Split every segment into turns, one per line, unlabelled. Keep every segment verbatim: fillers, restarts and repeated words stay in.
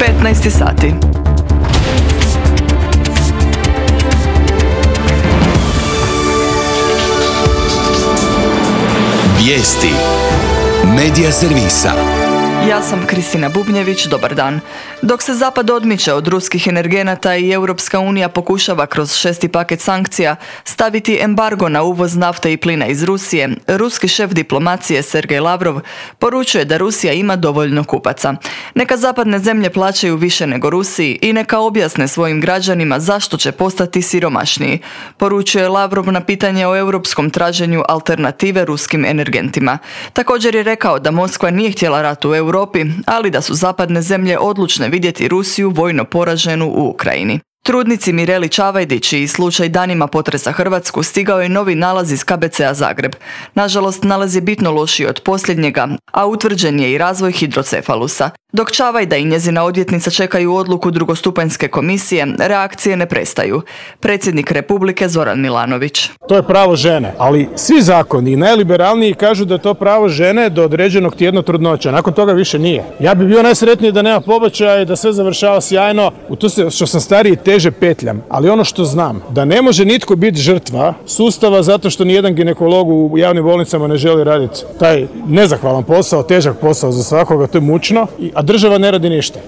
petnaest sati.
Vijesti Medija servisa.
Ja sam Kristina Bubnjević, dobar dan. Dok se Zapad odmiče od ruskih energenata i Europska unija pokušava kroz šesti paket sankcija staviti embargo na uvoz nafte i plina iz Rusije, ruski šef diplomacije Sergej Lavrov poručuje da Rusija ima dovoljno kupaca. Neka zapadne zemlje plaćaju više nego Rusiji i neka objasne svojim građanima zašto će postati siromašniji, poručuje Lavrov na pitanje o europskom traženju alternative ruskim energentima. Također je rekao da Moskva nije htjela rat u Europi, ali da su zapadne zemlje odlučne vidjeti Rusiju vojno poraženu u Ukrajini. Trudnici Mireli Čavajdi, čiji slučaj danima potresa Hrvatsku, stigao je novi nalaz iz K B C-a Zagreb. Nažalost, nalaz je bitno lošiji od posljednjega, a utvrđen je i razvoj hidrocefalusa. Dok Čavajda i njezina odvjetnica čekaju odluku drugostupanjske komisije, reakcije ne prestaju. Predsjednik Republike Zoran Milanović.
To je pravo žene, ali svi zakoni i najliberalniji kažu da je to pravo žene do određenog tjedna trudnoća. Nakon toga više nije. Ja bih bio najsretniji da nema pobačaja i da sve završava sjajno. U to se, što sam stariji, teže petljam. Ali ono što znam, da ne može nitko biti žrtva sustava zato što nijedan ginekolog u javnim bolnicama ne želi raditi taj nezahvalan posao, težak posao za svakoga, to je mučno, a država ne radi ništa.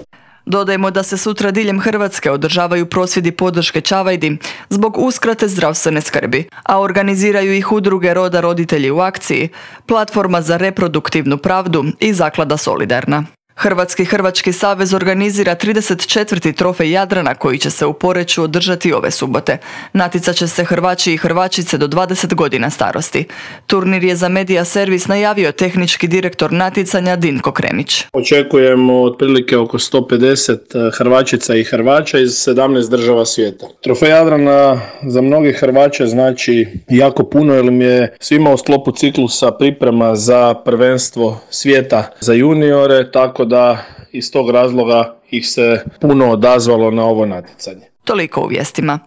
Dodajmo da se sutra diljem Hrvatske održavaju prosvjedi podrške Čavajdi zbog uskrate zdravstvene skrbi, a organiziraju ih udruge Roda roditelji u akciji, Platforma za reproduktivnu pravdu i Zaklada Solidarna. Hrvatski Hrvački savez organizira trideset četvrti trofej Jadrana koji će se u Poreču održati ove subote. Natjecat će se Hrvači i Hrvačice do dvadeset godina starosti. Turnir je za Medija servis najavio tehnički direktor natjecanja Dinko Kremić.
Očekujemo otprilike oko sto pedeset Hrvačica i Hrvača iz sedamnaest država svijeta. Trofej Jadrana za mnogi Hrvače znači jako puno jer im je svima u sklopu ciklusa priprema za prvenstvo svijeta za juniore, tako da iz tog razloga ih se puno odazvalo na ovo natjecanje.
Toliko u vijestima.